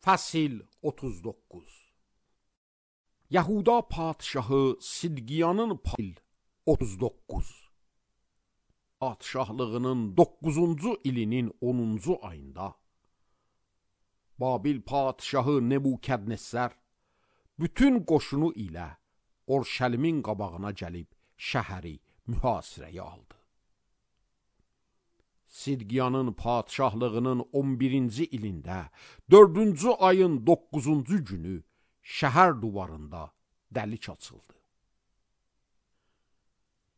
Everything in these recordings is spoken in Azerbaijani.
Fəsil 39 Yahuda padşahı Sidqiyanın 39 padşahlığının 9-cu ilinin 10-cu ayında Babil padşahı Nebukadnezar bütün qoşunu ilə Orşəlimin qabağına gəlib şəhəri mühasirəyə aldı. Sidqiyanın padşahlığının 11-ci ilində 4-cü ayın 9-cu günü şəhər divarında dəlik açıldı.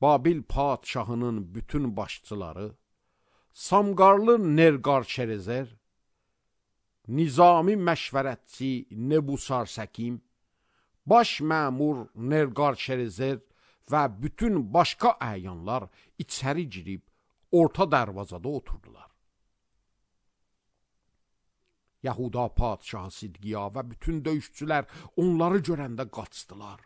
Babil padşahının bütün başçıları, Samqarlı Nerqar-Şerezer, Nizami məşvərətçi Nebusarsəkim, baş məmur Nerqar-Şerezer və bütün başqa əyanlar içəri girib orta dərvazada oturdular. Yahuda padşahı Sidqiya və bütün döyüşçülər onları görəndə qaçdılar.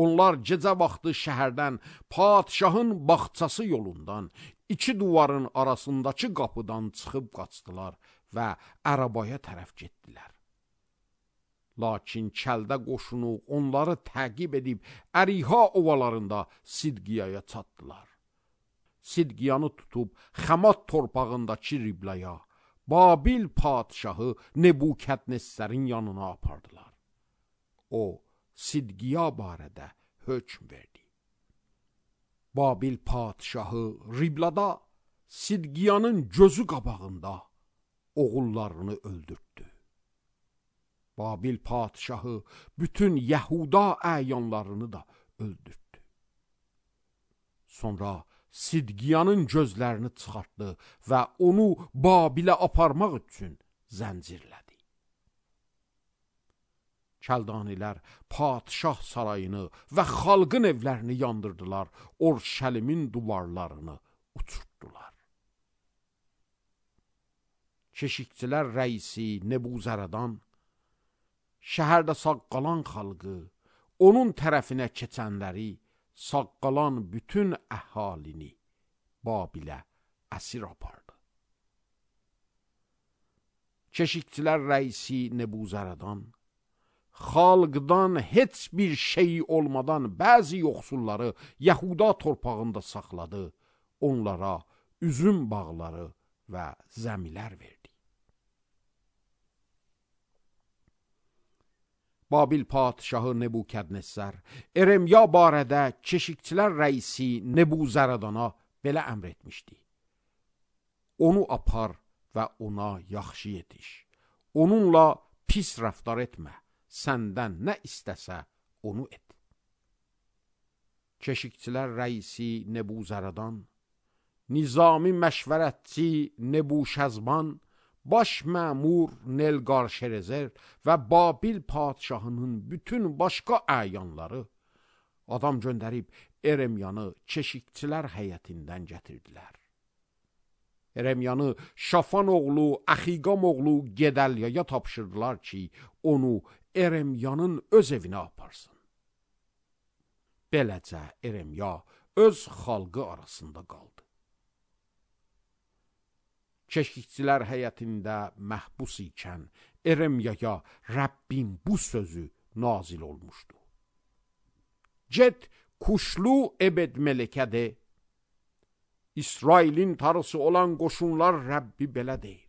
Onlar gecə vaxtı şəhərdən padşahın bağçası yolundan, iki duvarın arasındakı qapıdan çıxıb qaçdılar və arabaya tərəf getdilər. Lakin kəldə qoşunu onları təqib edib Əriha ovalarında Sidqiyaya çatdılar. Sidqiyanı tutub Xəmat torpağındakı Riblaya, Babil padşahı Nebukadnezarın yanına apardılar. O, Sidqiya barədə hökm verdi. Babil padşahı Riblada Sidqiyanın gözü qabağında oğullarını öldürtdü. Babil padşahı bütün Yahuda əyanlarını da öldürtdü. Sonra Sidqiyanın gözlərini çıxartdı və onu Babilə aparmaq üçün zəncirlədi. Kəldanilər padşah sarayını və xalqın evlərini yandırdılar, Orşəlimin duvarlarını uçurtdular. Keşikçilər rəisi Nebuzaradan, şəhərdə sağ qalan xalqı, onun tərəfinə keçənləri, sağ qalan bütün əhalini Babilə əsir apardı. Keşikçilər rəisi Nebuzaradan, xalqdan heç bir şey olmadan bəzi yoxsulları Yahuda torpağında saxladı, onlara üzüm bağları və zəmilər verdi. Babil padşahı Nebukadnezar Eremya barədə keşikçilər rəisi Nebuzaradana belə əmr etmişdi. Onu apar və ona yaxşı yetiş. Onunla pis rəftar etmə. Səndən nə istəsə onu et. Keşikçilər rəisi Nebuzaradan, Nizami məşvərətçi Nebuşəzban, baş məmur Nerqar-Şerezer və Babil padşahının bütün başqa əyanları adam göndərib Eremyanı keşikçilər həyətindən gətirdilər. Eremyanı Şafan oğlu, Əxiqam oğlu Gedəlyaya tapşırdılar ki, onu Eremyanın öz evinə aparsın. Beləcə Eremya öz xalqı arasında qaldı. Keşikçilər həyətində məhbus ikən Eremyaya Rəbbin bu sözü nazil olmuşdu. Get Kuşlu Ebed-Melekə de, İsrailin tarısı olan qoşunlar Rəbbi belə deyir.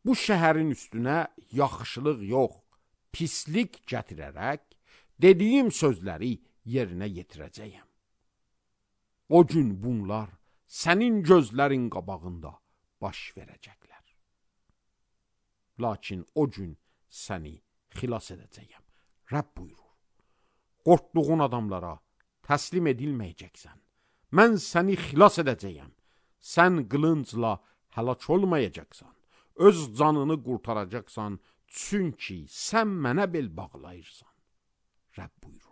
Bu şəhərin üstünə yaxşılıq yox, pislik gətirərək dediyim sözləri yerinə yetirəcəyəm. O gün bunlar sənin gözlərin qabağında baş verəcəklər. Lakin o gün səni xilas edəcəyəm. Rəbb buyurur. Qorxduğun adamlara təslim edilməyəcəksən. Mən səni xilas edəcəyəm. Sən qılıncla həlak olmayacaqsan. Öz canını qurtaracaqsan, çünki sən mənə bel bağlayırsan. Rəbb buyurur.